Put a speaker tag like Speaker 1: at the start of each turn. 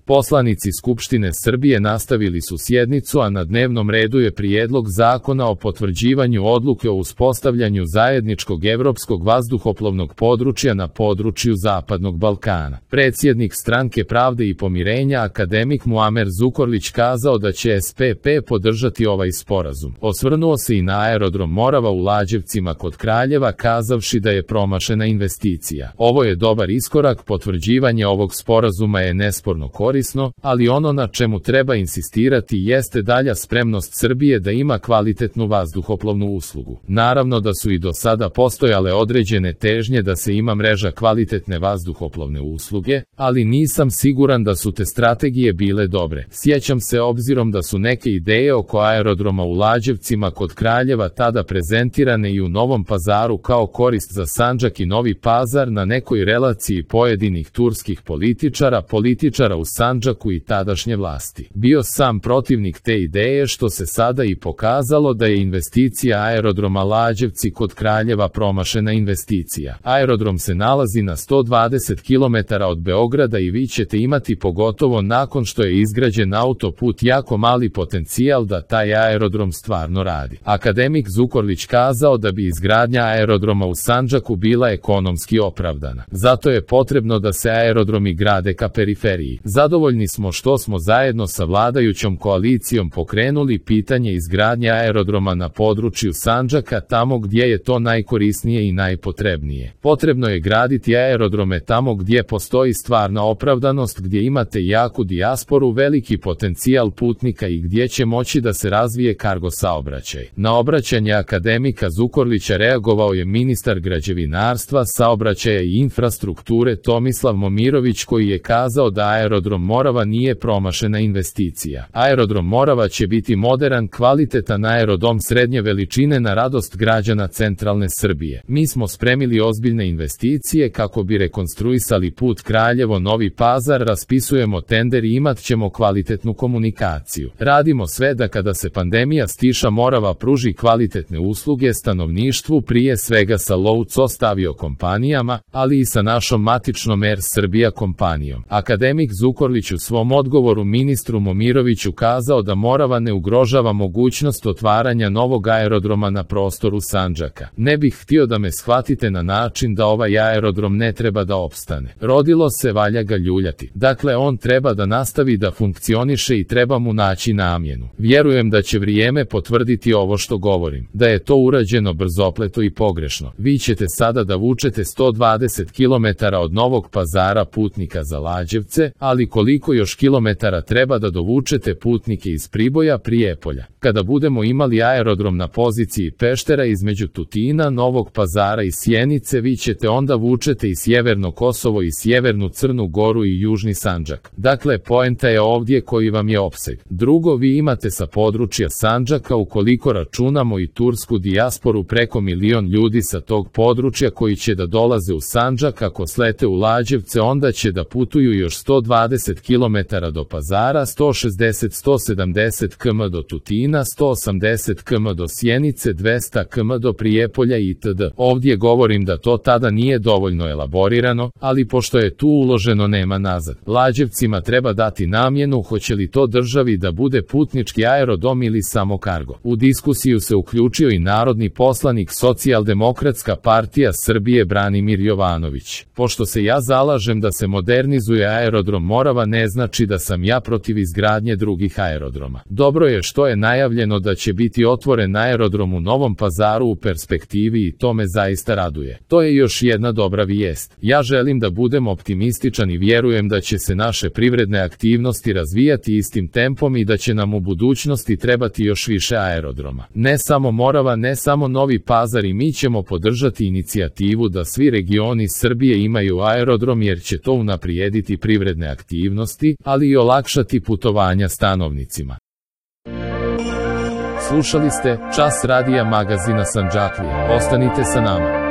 Speaker 1: Poslanici Skupštine Srbije nastavili su sjednicu, a na dnevnom redu je Prijedlog zakona o potvrđivanju odluke o uspostavljanju zajedničkog evropskog vazduhoplovnog područja na području Zapadnog Balkana. Predsjednik Stranke pravde i pomirenja akademik Muamer Zukorlić kazao da će SPP podržati ovaj sporazum. Osvrnuo se i na aerodrom Morava u Lađevcima kod Kraljeva, kazavši da je promašena investicija. Ovo je dobar iskorak, potvrđivanje ovog sporazuma je nesporno korisno, ali ono na čemu treba insistirati jeste dalja spremnost Srbije da ima kvalitetnu vazduhoplovnu uslugu. Naravno da su i do sada postojale određene težnje da se ima mreža kvalitetne vazduhoplovne usluge, ali nisam siguran da su te strategije bile dobre. Sjećam se, obzirom da su neke ideje oko aerodroma u Lađevcima kod Kraljeva tada prezentirane i u Novom Pazaru kao korist za Sandžak i Novi Pazar na nekoj relaciji pojedinih turskih političara u Sandžaku i tadašnje vlasti. Bio sam protivnik te ideje, što se sada i pokazalo da je investicija aerodroma Lađevci kod Kraljeva promašena investicija. Aerodrom se nalazi na 120 km od Beograda i vi ćete imati, pogotovo nakon što je izgrađen autoput, jako mali potencijal da taj aerodrom stvarno radi. Akademik Zukorlić kazao da bi izgradnja aerodroma u Sandžaku bila ekonomski opravdana. Zato je potrebno da se aerodromi grade ka periferiji. Zadovoljni smo što smo zajedno sa vladajućom koalicijom pokrenuli pitanje izgradnje aerodroma na području Sandžaka, tamo gdje je to najkorisnije i najpotrebnije. Potrebno je graditi aerodrome tamo gdje postoji stvarna opravdanost, gdje imate jaku dijasporu, veliki potencijal putnika i gdje će moći da se razvije kargo saobraćaj. Na obraćanje akademika Zukorlića reagovao je ministar građevinarstva, saobraćaja i infrastrukture Tomislav Momirović, koji je kazao da aerodrom Morava nije promašena investicija. Aerodrom Morava će biti moderan, kvalitetan aerodrom srednje veličine na radost građana centralne Srbije. Mi smo spremili ozbiljne investicije kako bi rekonstruisali put Kraljevo-Novi Pazar, raspisujemo tender i imat ćemo kvalitetnu komunikaciju. Radimo sve da kada se pandemija stiša Morava pruži kvalitetne usluge stanovništvu, prije svega sa low cost aviokompanijama, ali i sa našom matičnom Air Srbija kompanijom. Akademik Zukorlić u svom odgovoru ministru Momiroviću kazao da Morava ne ugrožava mogućnost otvaranja novog aerodroma na prostoru Sandžaka. Ne bih htio da me shvatite na način da ovaj aerodrom ne treba da opstane. Rodilo se, valja ga ljuljati. Dakle, on treba da nastavi da funkcioniše i treba mu naći namjenu. Vjerujem da će vrijeme potvrditi ovo što govorim, da je to urađeno brzopleto i pogrešno. Vi ćete sada da vučete 120 km od Novog Pazara putnika za Lađevce, ali koliko još kilometara treba da dovučete putnike iz Priboja, Prijepolja? Kada budemo imali aerodrom na poziciji Peštera između Tutina, Novog Pazara i Sjenice, vi ćete onda vučete i Sjeverno Kosovo i Sjevernu Crnu Goru i Južni Sandžak. Dakle, poenta je ovdje koji vam je opseg. Drugo, vi imate sa područja Sandžaka, ukoliko računamo i tursku dijasporu, preko 1 milion ljudi sa tog područja koji će da dolaze u Sandžak. Ako slete u Lađevce, onda će da putuju još 120 km do Pazara, 160-170 km do Tutina, 180 km do Sjenice, 200 km do Prijepolja itd. Ovdje govorim da to tada nije dovoljno elaborirano, ali pošto je tu uloženo nema nazad. Lađevcima treba dati namjenu, hoće li to državi da bude putnički aerodrom ili samo kargo. U diskusiju se uključio i narodni poslanik Socijaldemokratska partija Srbije Branimir Jovanović. Pošto se ja zalažem da se modernizuje aerodrom Morava, ne znači da sam ja protiv izgradnje drugih aerodroma. Dobro je što je najavljeno da će biti otvoren aerodrom u Novom Pazaru u perspektivi i to me zaista raduje. To je još jedna dobra vijest. Ja želim da budem optimističan i vjerujem da će se naše privredne aktivnosti razvijati istim tempom i da će nam u budućnosti trebati još više aerodroma. Ne samo Morava, ne samo Novi Pazar, i mi ćemo podržati inicijativu da svi regioni Srbije imaju aerodrom, jer će to unaprijediti privredne aktivnosti, ali i olakšati putovanja stanovnicima. Slušali ste Čas radija magazina Sandžaklija. Ostanite sa nama.